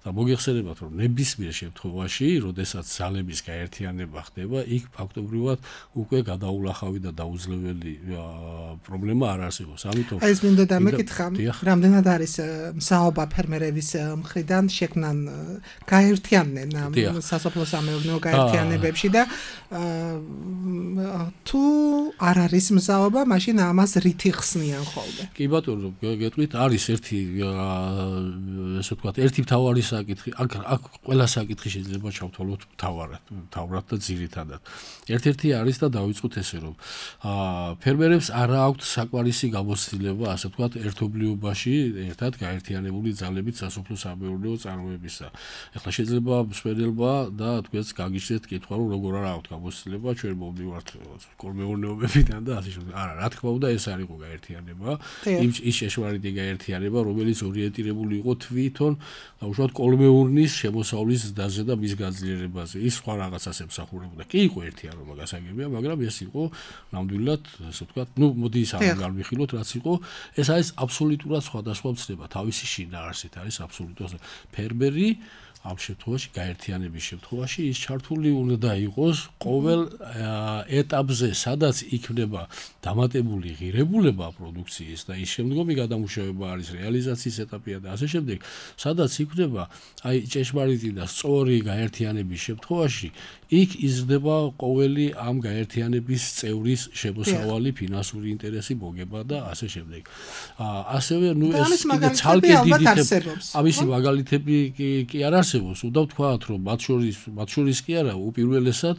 და მოგეხსენებათ, რომ ნებისმიერ შემთხვევაში, როდესაც ძალების გაერთიანება ხდება, იქ ფაქტობრივად უკვე გადაულახავი და დაუძლეველი პრობლემა არ არსებობს. ამიტომ ეს მინდა დამეკითხა, რამდენად არის მსაობა ფერმერების მხრიდან შექმნან გაერთიანდნენ სასოფლო-სამეურნეო გაერთიანებებში და თუ არ არის მსაობა, მაშინ ამას რითი ხსნიან ხოლმე? კი ბატონო, გეტყვით, არის ერთი ესე ვთქვათ, ერთი მთავარი საკითხი, აქ ყველა საკითხი შეიძლება ჩავთვალოთ მთავრად და ძირითადად. ერთ-ერთი არის და დავიწყოთ ესე, რომ ფერმერებს არ აქვთ საკმარისი გამოცდილება, ასე ვთქვათ, ერთობლიობაში ერთად გაერთიანებული ძალებით სასოფლო-სამეურნეო წარმოებისა. ეხლა შეიძლება მსმენელმა და თქვენს გაგიჩნდეთ კითხვა, რომ როგორ არ აქვთ გამოცდილება, ჩვენ მომდივართ კოლმეურნეობებიდან და ასე ასე შემდეგ. არა, რა თქმა უნდა, ეს არ იყო გაერთიანება. ის შეშმარიტი გაერთიანება, რომელიც ორიენტირებული იყო თვითონ უშუალოდ კოლმეურნის შემოსავლის ზრდაზე და მის გაძლიერებაზე. ის სხვა რაღაცას ემსახურებოდა. კი იყო ერთიანობა გასაგებია, მაგრამ ეს იყო ნამდვილად, ასე ვთქვათ, მოდი ის არ გავიხილოთ, რაც იყო. ეს არის აბსოლუტურად სხვადასხვა ცნება, თავისი შინაარსით არის აბსოლუტურად ფერმერი ამ შემთხვევაში გაერთიანების შემთხვევაში ის ჩართული უნდა იყოს ყოველ ეტაპზე, სადაც იქნება დამატებული ღირებულება პროდუქციის და ის შემდგომი გადამუშავება არის რეალიზაციის ეტაპია და ასე შემდეგ, სადაც იქნება აი ჭეშმარიტი და სწორი გაერთიანების შემთხვევაში იქ იზრდება ყოველი ამ გაერთიანების წევრის შემოსავალი, ფინანსური ინტერესი, მოგება და ასე შემდეგ. ასევე ეს კიდე ცალკე დიდი ამისი მაგალითები კი არ არსებობს, უნდა ვთქვათ, რომ მათ შორის კი არა, უპირველესად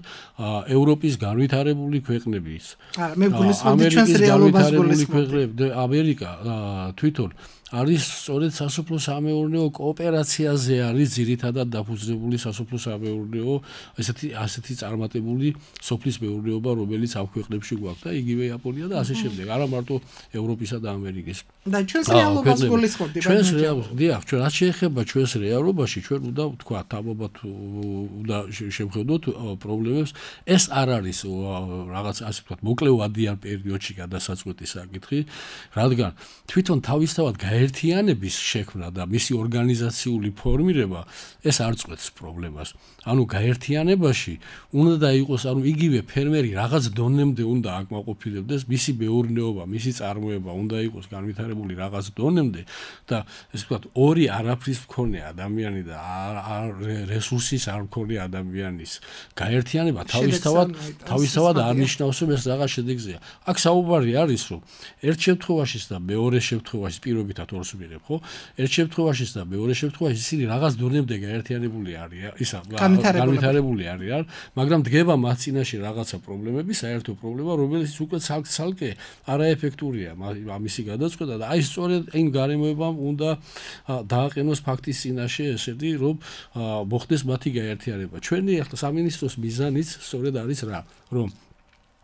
ევროპის განვითარებული ქვეყნების. არა, მე გულისხმობდი ჩვენს რეალობას გულისხმობდი. ამერიკა თვითონ არის სწორედ სასოფლო-სამეურნეო კოოპერაციაზე არის ძირითადად დაფუძნებული სასოფლო-სამეურნეო ასეთი წარმატებული სოფლის მეურნეობა, რომელიც ამ ქვეყნებში გვაქვს და იგივე იაპონია და ასე შემდეგ. არა მარტო ევროპისა და ამერიკის. და ჩვენს რეალობას გულისხმობდი. ჩვენს რეალობას, დიახ, ჩვენ რაც შეეხება ჩვენს რეალობაში, ჩვენ უნდა ვთქვათ, თამობათ უნდა შევხედოთ პრობლემებს. ეს არ არის რაღაც ასე ვთქვათ, მოკლევადიან პერიოდში გადასაწყვეტი საკითხი, რადგან თვითონ თავისთავად გაერთიანების შექმნა და მისი ორგანიზაციული ფორმირება ეს არ წყვეტს პრობლემას. ანუ გაერთიანებაში უნდა იყოს, ანუ იგივე ფერმერი რაღაც დონემდე უნდა აკმაყოფილებდეს, მისი მეურნეობა, მისი წარმოება უნდა იყოს განვითარებული რაღაც დონემდე და ესე ვთქვათ, ორი არაფრის მქონე ადამიანი და რესურსის არ მქონე ადამიანის გაერთიანება თავისთავად არ ნიშნავს, რომ ეს რაღაც შედეგზეა. აქ საუბარი არის, რომ ერთ შემთხვევაში და მეორე შემთხვევაში პირობითად ორს ვიღებ, ხო? ერთ შემთხვევაში და მეორე შემთხვევაში ისინი რაღაც დონემდე გაერთიანებული არიან, განვითარებული არიან, მაგრამ დგება მათ წინაშე რაღაცა პრობლემები, საერთო პრობლემა, რომელიც უკვე ცალკე არაეფექტურია ამისი გადაწყვეტა და აი სწორედ იმ გარემოებამ უნდა დააყენოს ფაქტის წინაშე ესეთი, რომ მოხდეს მათი გაერთიანება. ჩვენი ახლა სამინისტროს მიზანიც სწორედ არის რა, რომ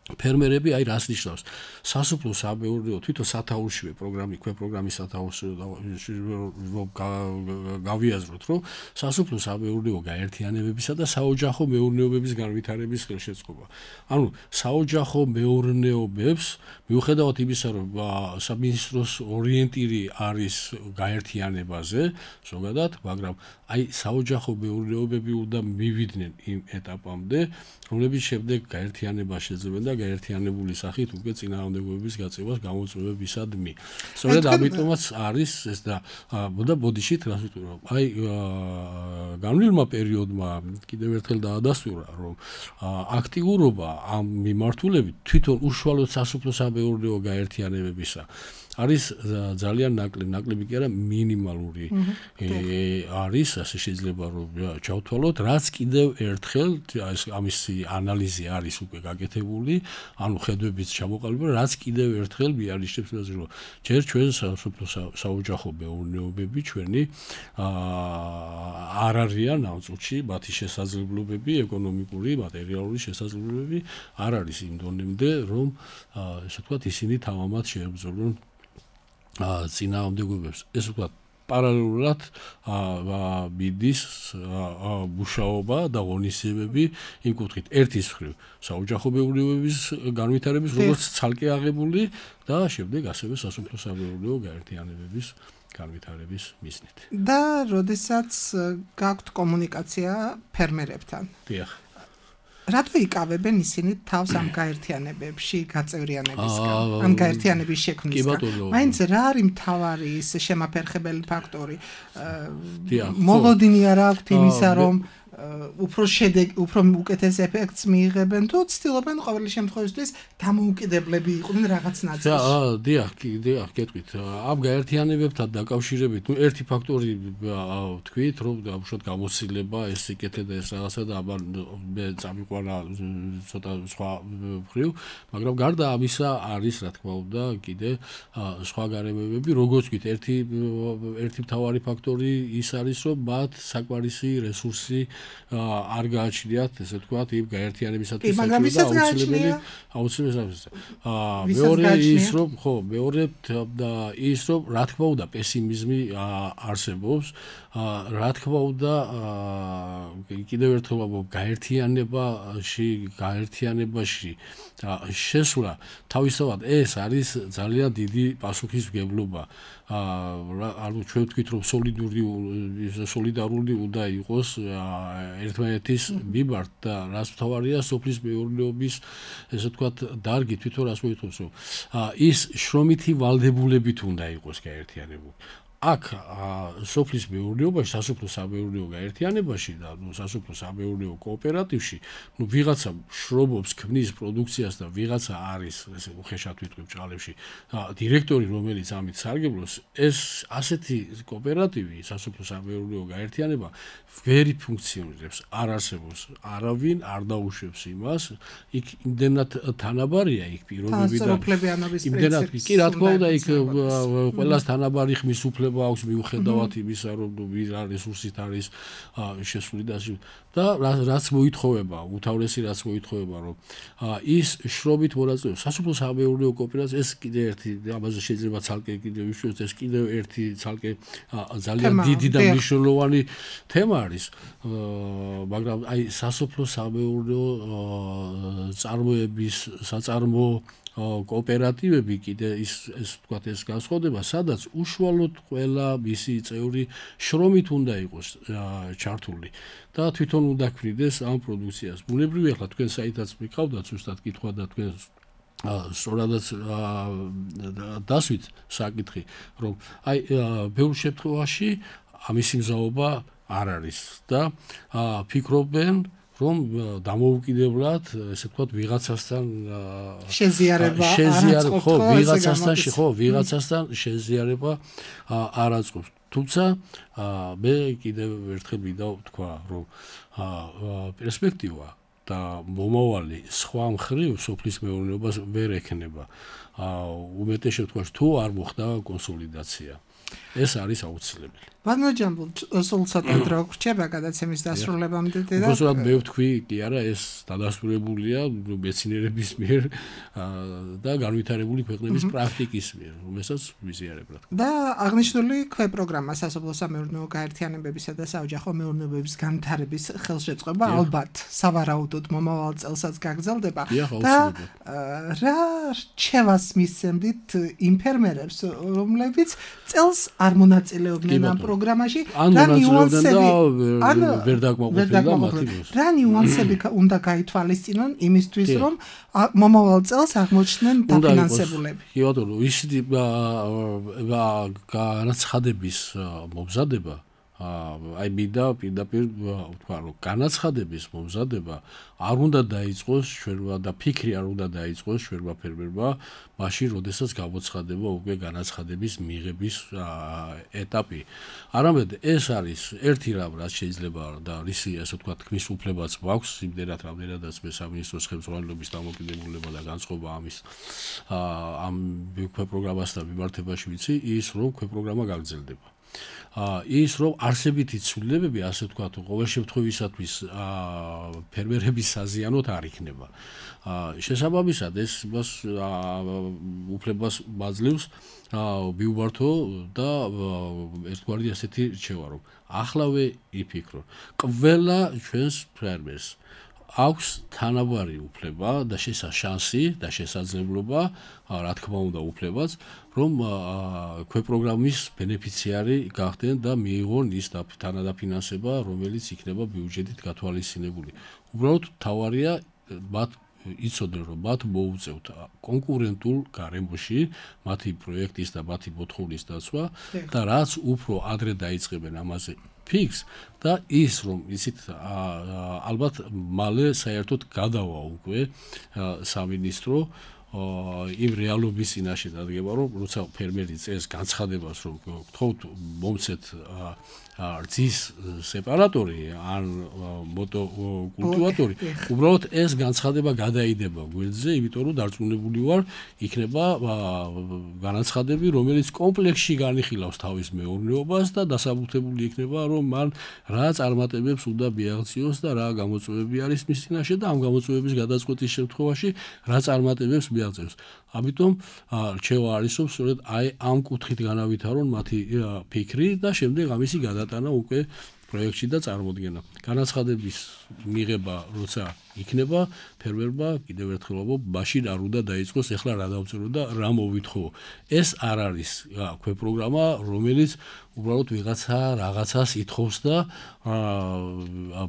ფერმერები აი რას ნიშნავს სასოფლო-სამეურნეო თვითონ სათაურშივე პროგრამის სათაურში გავიაზროთ, რომ სასოფლო-სამეურნეო გაერთიანებებისა და საოჯახო მეურნეობების განვითარების ხელშეწყობა. ანუ საოჯახო მეურნეობებს მიუხედავად იმისა, რომ სამინისტროს ორიენტირი არის გაერთიანებაზე, ზოგადად, მაგრამ აი საოჯახო მეურნეობები უნდა მივიდნენ იმ ეტაპამდე, რომლებიც შემდეგ გაერთიანება შეძლებენ და გაერთიანებული სახით უკვე წინააღმდეგობების გაწევას გამოწვევებისადმი. სწორედ ამიტომაც არის ეს და ბოდიშით რას ვიტყვი, რომ აი განვლილმა პერიოდმა კიდევ ერთხელ დაადასტურა, რომ აქტიურობა ამ მიმართულებით თვითონ უშუალოდ სასოფლო-სამეურნეო გაერთიანებებისა არის ძალიან ნაკლები კი არა მინიმალური არის, ასე შეიძლება რომ ჩავთვალოთ, რაც კიდევ ერთხელ ამისი ანალიზი არის უკვე გაკეთებული, ანუ ხედვების ჩამოყალიბება, რაც კიდევ ერთხელ მიანიშნებს იმას, რომ ჯერ ჩვენ საოჯახო მეურნეობები ჩვენი არ არიან ამ წუთში მათი შესაძლებლობები, ეკონომიკური, მატერიალური შესაძლებლობები არ არის იმ დონემდე, რომ ესე ვთქვათ, ისინი თამამად შეებრძოლონ წინააღმდეგობებს. ეს ვთქვათ, პარალელურად მიდის მუშაობა და ღონისძიებები იმ კუთხით. ერთის მხრივ საოჯახო მეურნეობების განვითარების როგორც ცალკე აღებული და შემდეგ ასევე სასოფლო-სამეურნეო გაერთიანებების განვითარების მიზნით. და როდესაც გაქვთ კომუნიკაცია ფერმერებთან. დიახ. რატო იკავებენ ისინი თავს ამ გაერთიანებებში გაწევრიანებისგან, ამ გაერთიანების შექმნისგან? მაინც რა არის მთავარი ის შემაფერხებელი ფაქტორი? მოლოდინი არ აქვთ იმისა, რომ უფრო უკეთეს ეფექტს მიიღებენ თუ ცდილობენ ყოველი შემთხვევისთვის დამოუკიდებლები იყვნენ რაღაც ნაწილში. დიახ, გეტყვით. ამ გაერთიანებებთან დაკავშირებით, ერთი ფაქტორი ვთქვით, რომ უშუალოდ გამოცდილება ეს სიკეთე და ეს რაღაცა და მე წამიყვანა ცოტა სხვა მხრივ, მაგრამ გარდა ამისა არის რა თქმა უნდა კიდე სხვა გარემოებები, როგორც ვთქვით, ერთი მთავარი ფაქტორი ის არის, რომ მათ საკმარისი რესურსი არ გააჩნიათ, ესე ვთქვათ, იმ გაერთიანებისათვის მაგრამ ვისაც აუცილებელია. მეორე ის რომ ის რომ რა თქმა უნდა პესიმიზმი არსებობს, რა თქმა უნდა კიდევ ერთხელ გაერთიანებაში შესვლა თავისთავად ეს არის ძალიან დიდი პასუხისმგებლობა. ანუ ჩვენ ვთქვით რომ სოლიდარული უნდა იყოს ერთმანეთის მიმართ და რას მთავარია სოფლის მეურნეობის ესე ვთქვათ დარგი თვითონ რას მოითხოვს რომ ის შრომითი ვალდებულებით უნდა იყოს გაერთიანებული. აქ სოფლის მეურნეობაში, სასოფლო-სამეურნეო გაერთიანებაში და სასოფლო-სამეურნეო კოოპერატივში, ვიღაცა შრომობს, ქმნის პროდუქციას და ვიღაცა არის, ესე უხეშად ვიტყვი ჭალებში, დირექტორი, რომელიც ამით სარგებლობს, ეს ასეთი კოოპერატივი, სასოფლო-სამეურნეო გაერთიანება ვერ ფუნქციონირებს, არ არსებობს, არავინ არ დაუშვებს იმას, იქ იმდენად თანაბარია იქ პირობები და იმდენად კი რა თქმა უნდა იქ ყველას თანაბარი ხმის უფლება აქვს მიუხედავად იმისა, რომ ვირა რესურსით არის შესული და რაც მოითხოვება, უთავრესი რაც მოითხოვება, რომ ის შრომით მონაწილეობს სასოფლო-სამეურნეო კოოპერაცია, ეს კიდე ერთი ამაზე შეიძლება ცალკე კიდე ვიშვიოთ, ეს კიდე ერთი ცალკე ძალიან დიდი და მნიშვნელოვანი თემა არის, მაგრამ აი სასოფლო-სამეურნეო წარმოების საწარმო კოოპერატივები კიდე ის ვთქვათ ეს განსხვავდება, სადაც უშუალოდ ყველა მისი წევრი შრომით უნდა იყოს ჩართული და თვითონ უნდა ქმნიდეს ამ პროდუქციას. ბუნებრივია, ახლა თქვენ საითაც მიყავდათ ზუსტად კითხვა და თქვენ სწორადაც დასვით საკითხი, რომ აი ბევრ შემთხვევაში ამისი მზაობა არ არის და ფიქრობენ რომ დამოუკიდებლად, ესე ვთქვათ, ვიღაცასთან ვიღაცასთან შეზიარება არ აწყობს. თუმცა მე კიდევ ერთხელ მინდა ვთქვა, რომ პერსპექტივა და მომავალი სხვა მხრივ სოფლის მეურნეობას ვერ ექნება. უმეტეს შემთხვევაში თუ არ მოხდა კონსოლიდაცია. ეს არის აუცილებელი. ვანოჯამბულ სულ ცოტა დრო გრჩება გადაცემის დასრულებამდე და უბრალოდ მე ვთქვი, კი არა, ეს დადასტურებულია მეცნიერების მიერ და განვითარებული ქვეყნების პრაქტიკის მიერ, რომელსაც ვიზიარებ რა თქმა უნდა. და აღნიშნული ქვეპროგრამა სასოფლო-სამეურნეო გაერთიანებებისა და საოჯახო მეურნეობების განვითარების ხელშეწყობა ალბათ სავარაუდოდ მომავალ წელსაც გაგრძელდება და რა რჩევას მისცემთ იმ ფერმერებს, რომლებიც წელს არ მონაწილეობდნენ ამ პროგრამაში, რა ნიუანსები ვერ დაკმაყოფილდა მათი დროს. რა ნიუანსები უნდა გაითვალისწინონ იმისთვის, რომ მომავალ წელს აღმოჩნდნენ დაფინანსებულები. კი ბატონო, ისეთი განაცხადების მომზადება აი მინდა პირდაპირ ვთქვა, რომ განაცხადების მომზადება არ უნდა დაიწყოს ჩვენმა და ფიქრი არ უნდა დაიწყოს ჩვენმა ფერმერმა მაშინ, როდესაც გამოცხადება უკვე განაცხადების მიღების ეტაპი. არამედ ეს არის ერთი რამ, რაც შეიძლება და რისი, ასე ვთქვათ, ქმის უფლებაც მაქვს, იმდენად რამდენადაც მე სამინისტროს ხელმძღვანელობის დამოკიდებულება და განწყობა ამის ამ ქვეპროგრამასთან მიმართებაში ვიცი, ის რომ ქვეპროგრამა გაგრძელდება. ის რომ არსებითი ცვლილებები, ასე ვთქვათ, ყოველ შემთხვევისათვის ფერმერების საზიანოდ არ იქნება. შესაბამისად ეს მას უფლებას მაძლევს მიუბართო და ერთგვარი ასეთი რჩევა, რომ ახლავე იფიქრო. ყველა ჩვენს ფერმერს აქვს თანაბარი უფლება და შანსი და შესაძლებლობა, რა თქმა უნდა, უფლებაც, რომ ქვეპროგრამის ბენეფიციარი გახდნენ და მიიღონ ის თანადაფინანსება, რომელიც იქნება ბიუჯეტით გათვალისწინებული. უბრალოდ თავარია მათ იცოდნენ, რომ მათ მოუწევთ კონკურენტულ გარემოში მათი პროექტის და მათი მოთხოვნის დაცვა და რაც უფრო ადრე დაიწყებენ ამაზე ფიქს და ის რომ იცით ალბათ მალე საერთოდ გადავა უკვე სამინისტრო იმ რეალობის წინაშე დადგება, რომ როცა ფერმერი წეს განცხადებას, რომ გთხოვთ მომცეთ რძის სეპარატორი ან მოტოკულტივატორი, უბრალოდ ეს განცხადება გადაიდება გვერდზე, იმიტომ რომ დარწმუნებული ვარ, იქნება განაცხადები, რომელიც კომპლექსში განიხილავს თავის მეურნეობას და დასაბუთებული იქნება, რომ მან რა წარმატებებს უნდა მიაღწიოს და რა გამოწვევები არის მის წინაშე და ამ გამოწვევების გადაწყვეტის შემთხვევაში რა წარმატებებს მიაღწევს. ამიტომ რჩევა არის, რომ სწორედ აი ამ კუთხით განავითარონ მათი ფიქრი და შემდეგ ამისი გადატანა უკვე პროექტში და წარმოდგენა. განაცხადების მიღება როცა იქნება, ფერმერმა კიდევ ერთხელ ვამბობ, მაშინ არ უნდა დაიწყოს ეხლა რა დავწერო და რა მოვითხოვო. ეს არ არის ქვეპროგრამა, რომელიც უბრალოდ ვიღაცა რაღაცას ითხოვს და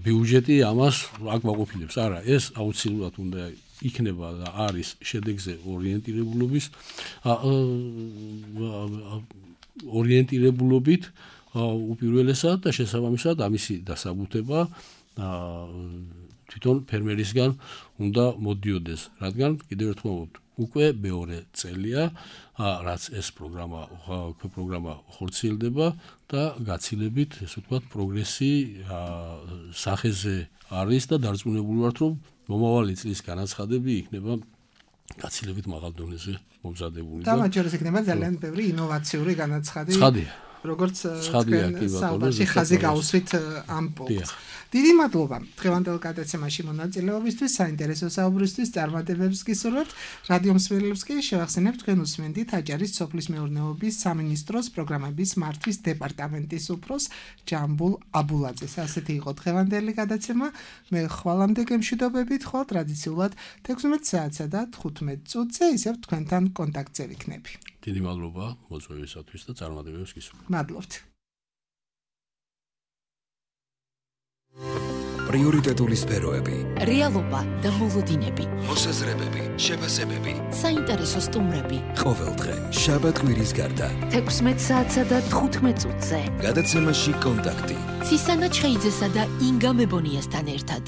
ბიუჯეტი ამას აქ მაყოფილებს. არა, ეს აუცილებლად უნდა იქნება და არის შედეგზე ორიენტირებულობით უპირველესად და შესაბამისად ამისი დასაბუთება თვითონ ფერმერისგან უნდა მოდიოდეს, რადგან კიდევ ერთხელ ვამბობ, უკვე მეორე წელია, რაც ეს პროგრამა ხორციელდება და გაცილებით, ესე ვთქვათ, პროგრესი სახეზე არის და დარწმუნებული ვართ, რომ მომავალი წლის განაცხადები იქნება გაცილებით მაღალ დონეზე მომზადებული და მათ შორის იქნება ძალიან ბევრი ინოვაციური განაცხადი. როგორც საუბარში ხაზი გაუსვით ამ პუნქტს. დიდი მადლობა დღევანდელ გადაცემაში მონაწილეობისთვის, საინტერესო საუბრისთვის, წარმატებებს გისურვებთ. რადიო მსმენელებს კი შევახსენებთ, თქვენ უსმენთ აჭარის სოფლის მეურნეობის სამინისტროს პროგრამების მართვის დეპარტამენტის უფროს ჯამბულ აბულაძეს. ასეთი იყო დღევანდელი გადაცემა. მე ხვალამდე გემშვიდობებით, ხოლ ტრადიციულად 16 საათსა და 15 წუთზე ისევ თქვენთან კონტაქტზე ვიქნები. დიდი მადლობა მოწვევისათვის და წარმატებებს გისურვებთ. მადლობთ. პრიორიტეტული სფეროები, რეალობა და მოლოდინები, მოსაზრებები, შეფასებები, საინტერესო სტუმრები. ყოველდღე შაბათ-კვირის გარდა 16 საათსა და 15 წუთზე. გადაცემაში კონტაქტი. ცისანა ჩხეიძესა და ინგა მებონიასთან ერთად.